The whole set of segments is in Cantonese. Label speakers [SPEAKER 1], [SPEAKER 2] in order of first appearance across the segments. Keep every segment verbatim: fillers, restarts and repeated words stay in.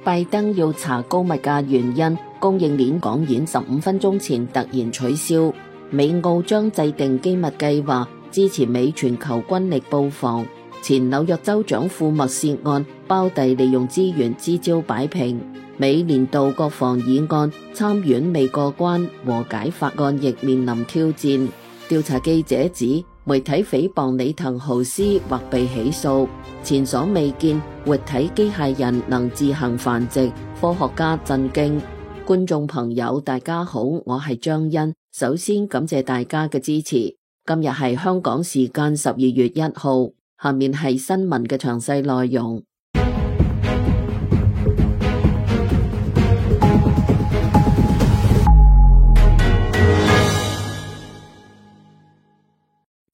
[SPEAKER 1] 拜登要查高物價原因，供應鏈講演十五分鐘前突然取消。美澳將制定機密計劃，支持美全球軍力布防。前紐約州長庫默涉案，胞弟利用資源支招擺平。美年度國防議案參院未過關，和解法案亦面臨挑戰。調查記者指，媒體誹謗李騰豪斯或被起訴。前所未見，活體機械人能自行繁殖，科學家震驚。觀眾朋友大家好，我係張欣，首先感謝大家嘅支持。今日係香港時間十二月一號，下面係新聞嘅詳細內容。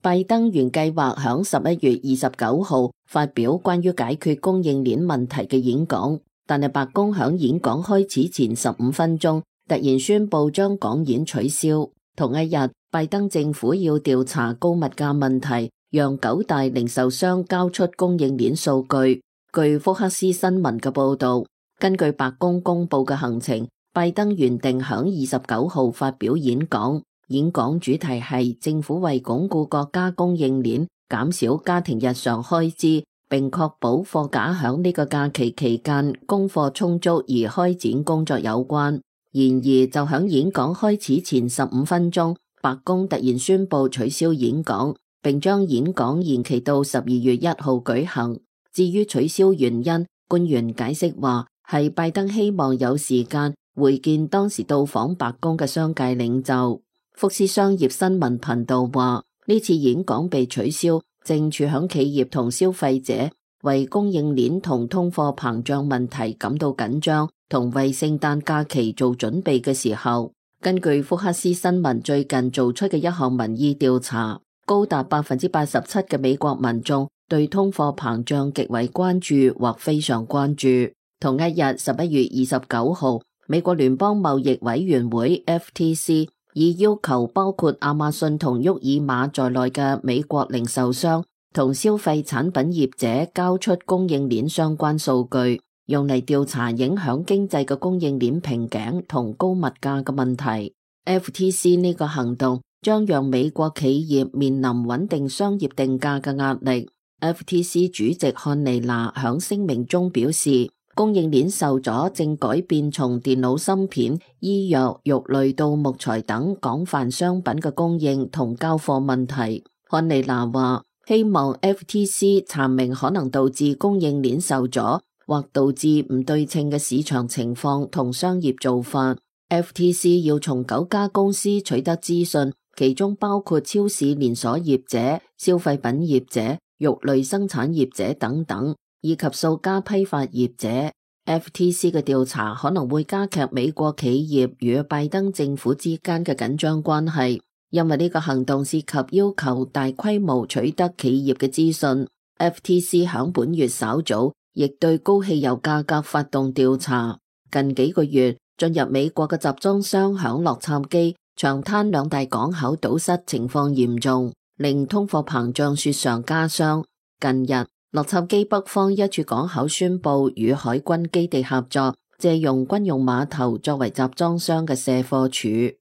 [SPEAKER 1] 拜登原計劃響十一月二十九號發表關於解決供應鏈問題嘅演講，但係白宮響演講開始前十五分鐘突然宣布將講演取消。同一日，拜登政府要調查高物價問題，讓九大零售商交出供應鏈數據。據福克斯新聞嘅報道，根據白宮公布嘅行程，拜登原定響二十九號發表演講。演講主題係政府為鞏固國家供應鏈、減少家庭日常開支，並確保貨架響呢個假期期間供貨充足而開展工作有關。然而，就響演講開始前十五分鐘，白宮突然宣布取消演講，並將演講延期到十二月一號舉行。至於取消原因，官員解釋話係拜登希望有時間會見當時到訪白宮嘅商界領袖。福斯商業新聞頻道話，呢次演講被取消，正處響企業同消費者為供應鏈同通貨膨脹問題感到緊張，同為聖誕假期做準備嘅時候。根據福克斯新聞最近做出嘅一項民意調查，高達百分之八十七嘅美國民眾對通貨膨脹極為關注或非常關注。同一日，十一月二十九號，美國聯邦貿易委員會 F T C已要求包括亞馬遜同沃爾瑪在內嘅美國零售商同消費產品業者交出供應鏈相關數據，用嚟調查影響經濟嘅供應鏈瓶頸同高物價嘅問題。F T C 呢個行動將讓美國企業面臨穩定商業定價嘅壓力。F T C 主席漢尼娜響聲明中表示，供應鏈受阻正改變從電腦芯片、醫藥、肉類到木材等廣泛商品嘅供應同交貨問題。漢尼娜話，希望 F T C 查明可能導致供應鏈受阻或導致唔對稱嘅市場情況同商業做法。F T C 要從九家公司取得資訊，其中包括超市連鎖業者、消費品業者、肉類生產業者等等，以及數家批發業者。F T C 嘅調查可能會加劇美國企業與拜登政府之間嘅緊張關係，因為呢個行動涉及要求大規模取得企業嘅資訊。F T C 響本月稍早亦對高汽油價格發動調查。近幾個月，進入美國嘅集裝箱響洛杉磯、長灘兩大港口堵塞情況嚴重，令通貨膨脹雪上加霜。近日，洛杉磯北方一處港口宣布與海軍基地合作，借用軍用碼頭作為集裝箱嘅卸貨處。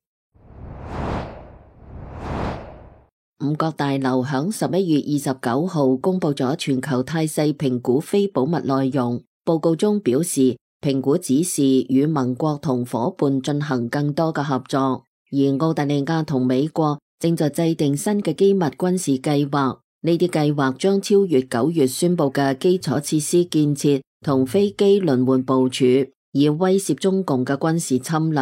[SPEAKER 1] 五角大樓響十一月二十九號公布咗全球態勢評估非保密內容，報告中表示，評估指示與盟國同夥伴進行更多嘅合作，而澳大利亞同美國正在制定新嘅機密軍事計劃。呢啲計劃將超越九月宣布嘅基礎設施建設同飛機輪換部署，以威懾中共嘅軍事侵略。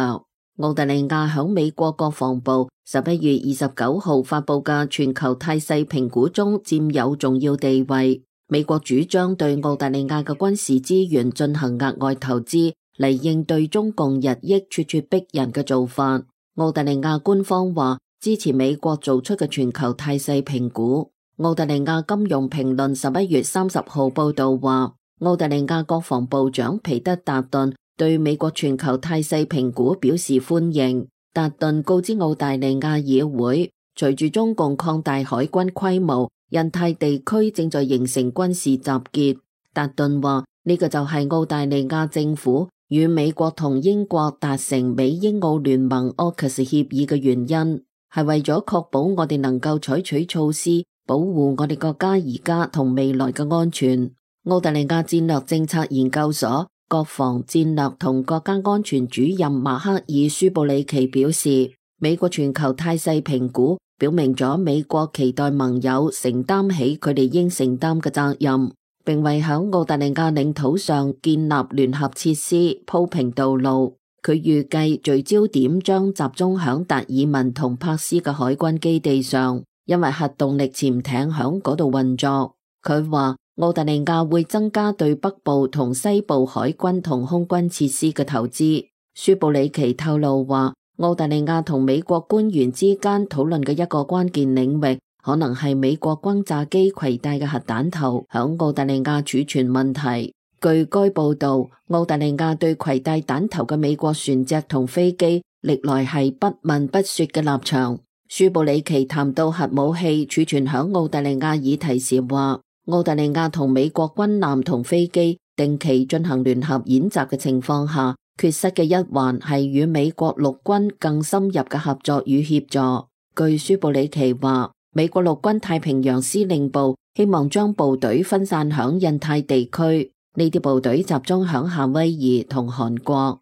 [SPEAKER 1] 澳大利亞響美國國防部十一月二十九號發布嘅全球態勢評估中佔有重要地位。美國主張對澳大利亞嘅軍事資源進行額外投資，嚟應對中共日益咄咄逼人嘅做法。澳大利亞官方話支持美國做出嘅全球態勢評估。澳大利亞金融評論十一月三十號報道話，澳大利亞國防部長皮德達頓對美國全球態勢評估表示歡迎。達頓告知澳大利亞議會，隨住中共擴大海軍規模，印太地區正在形成軍事集結。達頓話呢個就係澳大利亞政府與美國同英國達成美英澳聯盟 A U K U S 協議嘅原因，係為咗確保我哋能夠採取措施保護我哋國家而家同未來嘅安全。澳大利亞戰略政策研究所國防戰略同國家安全主任馬克爾舒布里奇表示，美國全球態勢評估表明咗美國期待盟友承擔起佢哋應承擔嘅責任，並為響澳大利亞領土上建立聯合設施鋪平道路。佢預計聚焦點將集中響達爾文同柏斯嘅海軍基地上，因為核動力潛艇響嗰度運作。佢話澳大利亞會增加對北部同西部海軍同空軍設施嘅投資。舒布里奇透露話，澳大利亞同美國官員之間討論嘅一個關鍵領域，可能係美國轟炸機攜帶嘅核彈頭響澳大利亞儲存問題。據該報道，澳大利亞對攜帶彈頭嘅美國船隻同飛機歷來係不問不說嘅立場。舒布里奇談到核武器儲存響澳大利亞議題時話，澳大利亞同美國軍艦同飛機定期進行聯合演習嘅情況下，缺失嘅一環係與美國陸軍更深入嘅合作與協助。據舒布里奇話，美國陸軍太平洋司令部希望將部隊分散響印太地區，呢啲部隊集中響夏威夷同韓國。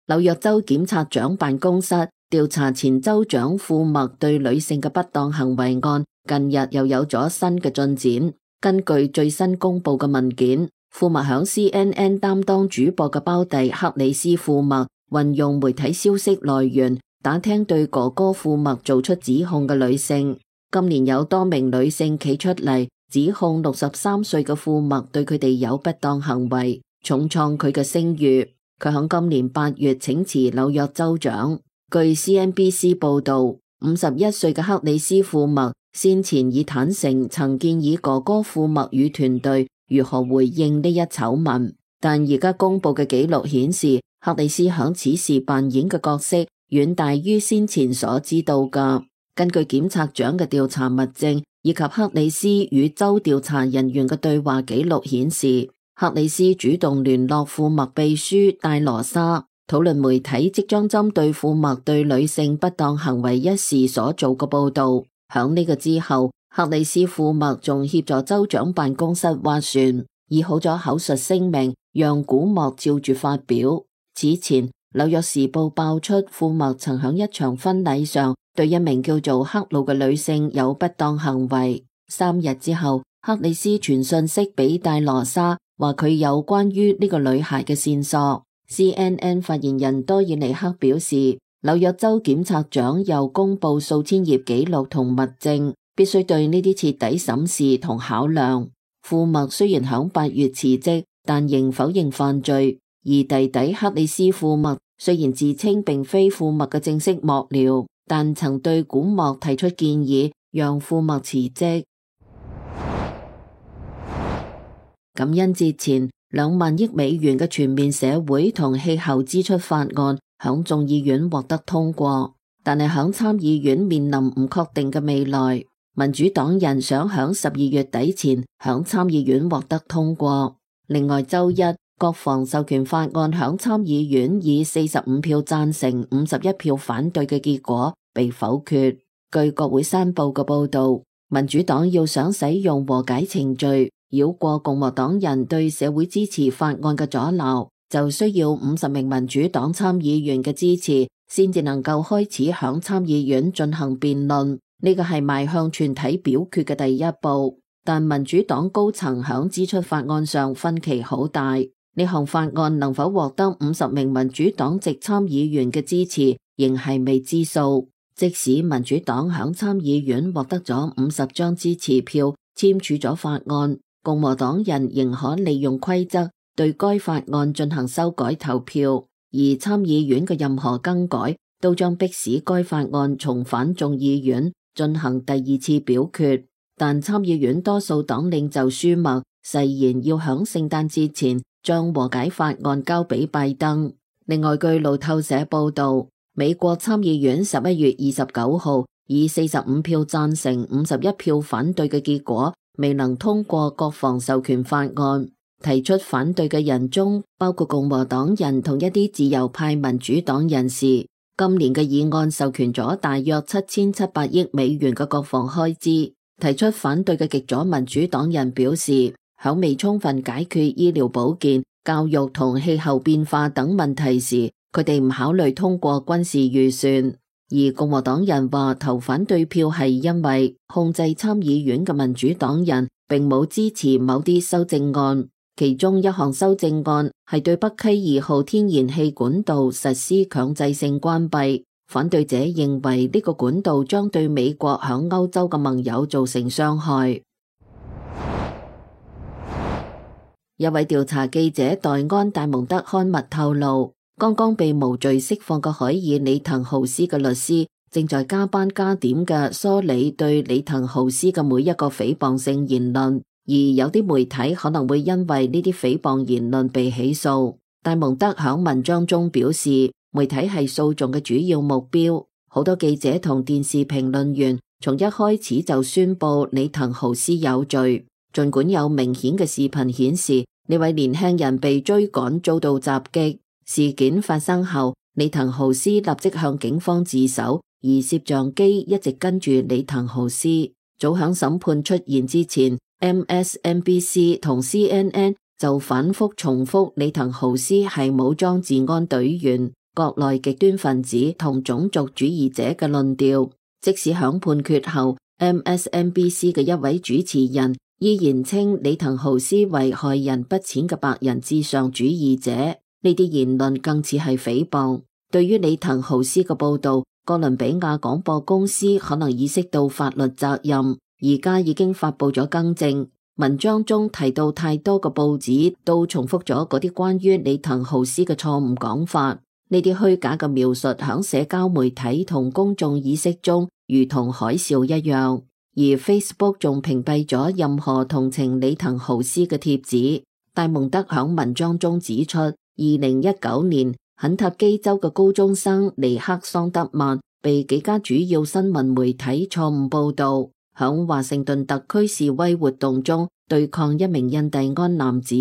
[SPEAKER 1] 紐約州檢察長辦公室調查前州長庫麥對女性嘅不當行為案，近日又有咗新嘅進展。根據最新公布嘅文件，庫麥響 C N N 擔當主播嘅胞弟克里斯庫麥運用媒體消息來源打聽對哥哥庫麥做出指控嘅女性。今年有多名女性企出嚟指控六十三歲嘅庫麥對佢哋有不當行為，重創佢嘅聲譽。佢響今年八月請辭紐約州長。據 C N B C 報道，五十一歲嘅克里斯庫麥先前已坦承曾建議哥哥庫麥與團隊如何回應呢一醜聞，但而家公布嘅記錄顯示，克里斯響此時扮演嘅角色遠大於先前所知道嘅。根據檢察長嘅調查物證以及克里斯與州調查人員嘅對話記錄顯示，克里斯主動聯絡庫麥秘書戴羅莎，討論媒體即將針對庫麥對女性不當行為一事所做嘅報道。響呢個之後，克里斯庫麥仲協助州長辦公室斡旋，擬好咗口述聲明，讓古莫照住發表。此前，紐約時報爆出庫麥曾響一場婚禮上對一名叫做克魯嘅女性有不當行為。三日之後，克里斯傳訊息俾戴羅莎，話佢有關於呢個女孩嘅線索。C N N 發言人多爾尼克表示，紐約州檢察長又公布數千頁記錄同物證，必須對呢啲徹底審視同考量。庫麥雖然響八月辭職，但仍否認犯罪。而弟弟克里斯庫麥雖然自稱並非庫麥嘅正式幕僚，但曾對古莫提出建議，讓庫麥辭職。感恩節前，兩萬億美元嘅全面社會同氣候支出法案響眾議院獲得通過，但係響參議院面臨唔確定嘅未來。民主黨人想響十二月底前響參議院獲得通過。另外，周一國防授權法案響參議院以四十五票贊成、五十一票反對嘅結果被否決。據國會山報嘅報道，民主黨要想使用和解程序繞過共和黨人對社會支持法案嘅阻撓，就需要五十名民主黨參議員嘅支持，先至能夠開始響參議院進行辯論。呢個係邁向全體表決嘅第一步，但民主黨高層響支出法案上分歧好大。呢項法案能否獲得五十名民主黨籍參議員嘅支持，仍係未知數。即使民主黨響參議院獲得咗五十張支持票，簽署咗法案，共和黨人仍可利用規則對該法案進行修改投票，而參議院嘅任何更改都將迫使該法案重返眾議院進行第二次表決。但參議院多數黨領袖舒默誓言要響聖誕節前將和解法案交俾拜登。另外，據路透社報道，美國參議院十一月二十九號以四十五票贊成、五十一票反對嘅結果，未能通過國防授權法案。提出反對嘅人中包括共和黨人同一啲自由派民主黨人士。今年嘅議案授權咗大約七千七百億美元嘅國防開支。提出反對嘅極左民主黨人表示，響未充分解決醫療保健、教育同氣候變化等問題時，佢哋唔考慮通過軍事預算。而共和黨人話投反對票係因為控制參議院嘅民主黨人並冇支持某啲修正案，其中一項修正案係對北溪二號天然氣管道實施強制性關閉。反對者認為呢個管道將對美國響歐洲嘅盟友造成傷害。一位調查記者黛安戴蒙德刊物透露，剛剛被無罪釋放嘅海爾里滕豪斯嘅律師正在加班加點嘅梳理對里滕豪斯嘅每一個誹謗性言論，而有啲媒體可能會因為呢啲誹謗言論被起訴。戴蒙德響文章中表示，媒體係訴訟嘅主要目標。好多記者同電視評論員從一開始就宣布里滕豪斯有罪，儘管有明顯嘅視頻顯示呢位年輕人被追趕遭到襲擊。事件發生後，里滕豪斯立即向警方自首，而攝像機一直跟住里滕豪斯。早響審判出現之前 ，M S N B C 同 C N N 就反覆重複里滕豪斯係武裝治安隊員、國內極端分子同種族主義者嘅論調。即使響判決後 ，M S N B C 嘅一位主持人依然稱里滕豪斯為害人不淺嘅白人至上主義者。呢啲言論更似係誹謗。對於里滕豪斯嘅報道，哥倫比亞廣播公司可能意識到法律責任，而家已經發佈咗更正。文章中提到太多嘅報紙都重複咗嗰啲關於里滕豪斯嘅錯誤講法，呢啲虛假嘅描述響社交媒體同公眾意識中如同海嘯一樣，而 Facebook 仲屏蔽咗任何同情里滕豪斯嘅帖子。戴蒙德響文章中指出，二零一九年，肯塔基州嘅高中生尼克桑德曼被幾家主要新聞媒體錯誤報道，響華盛頓特區示威活動中對抗一名印第安男子，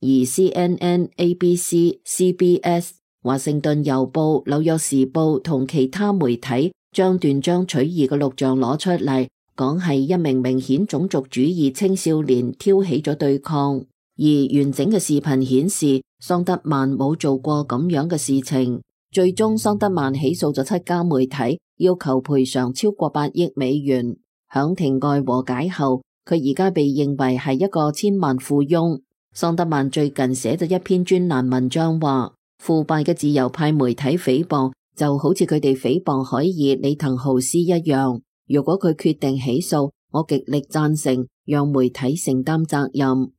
[SPEAKER 1] 而 C N N、A B C、C B S、華盛頓郵報、紐約時報同其他媒體將斷章取義嘅錄像攞出嚟，講係一名明顯種族主義青少年挑起咗對抗。而完整嘅視頻顯示，桑德曼冇做過咁樣嘅事情。最終，桑德曼起訴咗七家媒體，要求賠償超過八億美元。響庭外和解後，佢而家被認為係一個千萬富翁。桑德曼最近寫咗一篇專欄文章，話腐敗嘅自由派媒體誹謗就好似佢哋誹謗海爾里滕豪斯一樣。如果佢決定起訴，我極力贊成讓媒體承擔責任。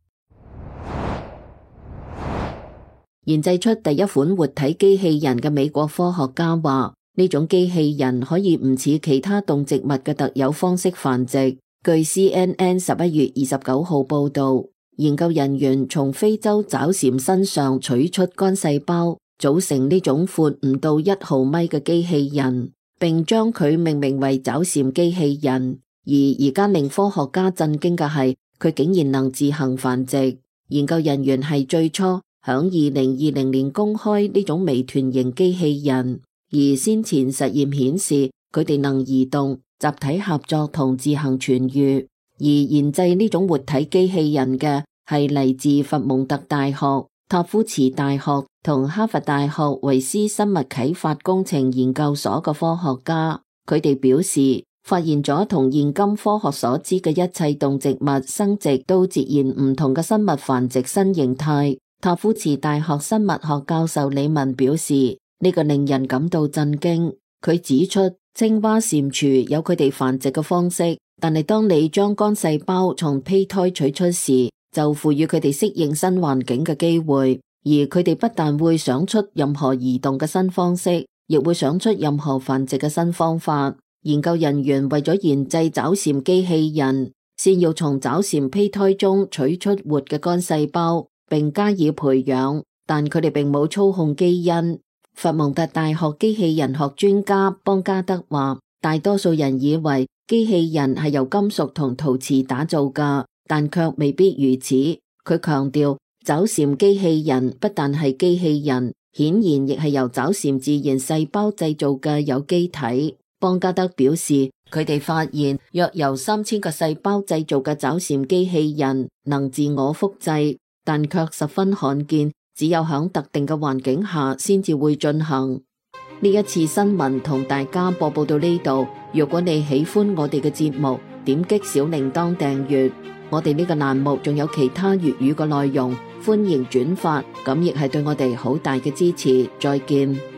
[SPEAKER 1] 研製出第一款活體機器人嘅美國科學家話，呢種機器人可以唔似其他動植物嘅特有方式繁殖。據 C N N 十一月二十九號報道，研究人員從非洲爪蟾身上取出肝細胞，組成呢種闊唔到一毫米嘅機器人，並將佢命名為爪蟾機器人。而而家令科學家震驚嘅係，佢竟然能自行繁殖。研究人員係最初響二零二零年公開呢種微團型機器人，而先前實驗顯示佢哋能移動、集體合作同自行痊癒。而研製呢種活體機器人嘅係嚟自佛蒙特大學、塔夫茨大學同哈佛大學維斯生物啟發工程研究所嘅科學家。佢哋表示，發現咗同現今科學所知嘅一切動植物生殖都截然唔同嘅生物繁殖新形態。塔夫茨大學生物學教授李文表示，呢個令人感到震驚。佢指出，青蛙、蟾蜍有佢哋繁殖嘅方式，但係當你將肝細胞從胚胎取出時，就賦予佢哋適應新環境嘅機會。而佢哋不但會想出任何移動嘅新方式，亦會想出任何繁殖嘅新方法。研究人員為咗研製爪蟾機器人，先要從爪蟾胚胎中取出活嘅肝細胞，並加以培養，但佢哋並冇操控基因。佛蒙特大學機器人學專家邦加德話，大多數人以為機器人係由金屬同陶瓷打造㗎，但卻未必如此。佢強調，找蟬機器人不但係機器人，顯然亦係由找蟬自然細胞製造嘅有機體。邦加德表示，佢哋發現約由三千個細胞製造嘅找蟬機器人能自我複製，但卻十分罕見，只有響特定嘅環境下先至會進行。呢一次新聞同大家播報到呢度。如果你喜歡我哋嘅節目，點擊小鈴鐺訂閱。我哋呢個欄目仲有其他粵語嘅內容，歡迎轉發，咁亦係對我哋好大嘅支持。再見。